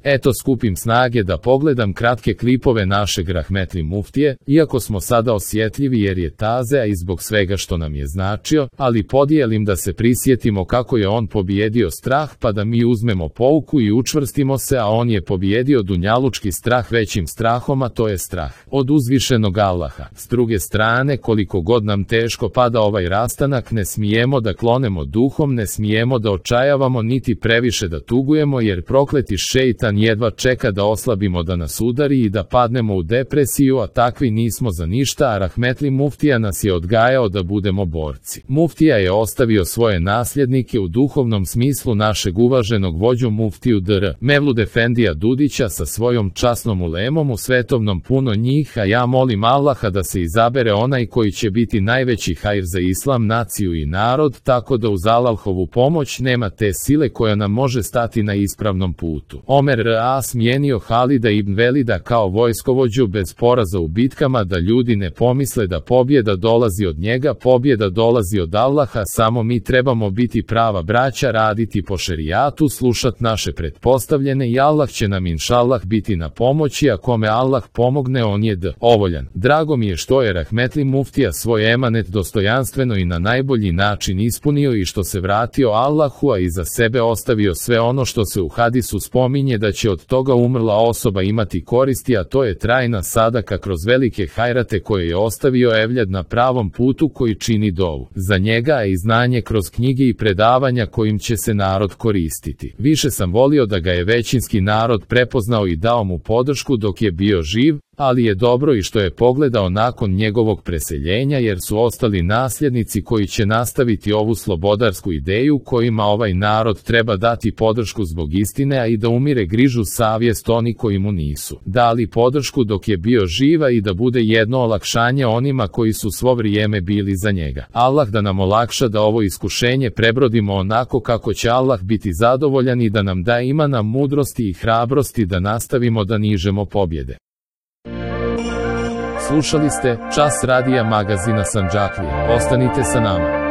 Eto skupim snage da pogledam kratke klipove našeg rahmetli muftije, iako smo sada osjetljivi jer je taze, a i zbog svega što nam je značio, ali podijelim da se prisjetimo kako je on pobijedio strah pa da mi uzmemo pouku i učvrstimo se, a on je pobijedio dunjalučki strah većim strahom, a to je strah od uzvišenog Allaha. S druge strane, koliko god nam teško pada ovaj rastanak, ne smijemo da klonemo duhom, ne smijemo da očajavamo niti previše da tugujemo, jer prokleti šeitan jedva čeka da oslabimo, da nas udari i da padnemo u depresiju, a takvi nismo za ništa, a rahmetli muftija nas je odgajao da budemo borci. Muftija je ostavio svoje nasljednike u duhovnom smislu našeg uvaženog vođu muftiju dr. Mevlud Efendija Dudića sa svojom časnom ulemom u svetovnom, puno njih, a ja molim Allaha da se izabere onaj koji će biti najveći hajr za islam, naciju i narod, tako da uz Allahovu pomoć nema te sile koja nam može stati na ispravnom putu. Omer R.A. smijenio Halida ibn Velida kao vojskovođu bez poraza u bitkama, da ljudi ne pomisle da pobjeda dolazi od njega, pobjeda dolazi od Allaha, samo mi trebamo biti prava braća, raditi po šerijatu, slušat naše pretpostavljene i Allah će nam inšallah biti na pomoći, a kome Allah pomogne on je dovoljan. Drago mi je što je rahmetli muftija svoj emanet dostojanstveno i na najbolji način ispunio i što se vratio Allahu, a iza sebe ostavio sve ono što se u hadisu spominje da će od toga umrla osoba imati koristi, a to je trajna sadaka kroz velike hajrate koje je ostavio evljad na pravom putu koji čini dovu za njega, a i znanje kroz knjige i predavanja kojim će se narod koristiti. Više sam volio da ga je većinski narod prepoznao i dao mu podršku dok je bio živ, ali je dobro i što je pogledao nakon njegovog preseljenja, jer su ostali nasljednici koji će nastaviti ovu slobodarsku ideju kojima ovaj narod treba dati podršku zbog istine, a i da umire grižu savjest oni koji mu nisu dali podršku dok je bio živa i da bude jedno olakšanje onima koji su svo vrijeme bili za njega. Allah da nam olakša da ovo iskušenje prebrodimo onako kako će Allah biti zadovoljan i da nam da imana, mudrosti i hrabrosti da nastavimo da nižemo pobjede. Slušali ste Čas radija magazina Sandžaklija. Ostanite sa nama.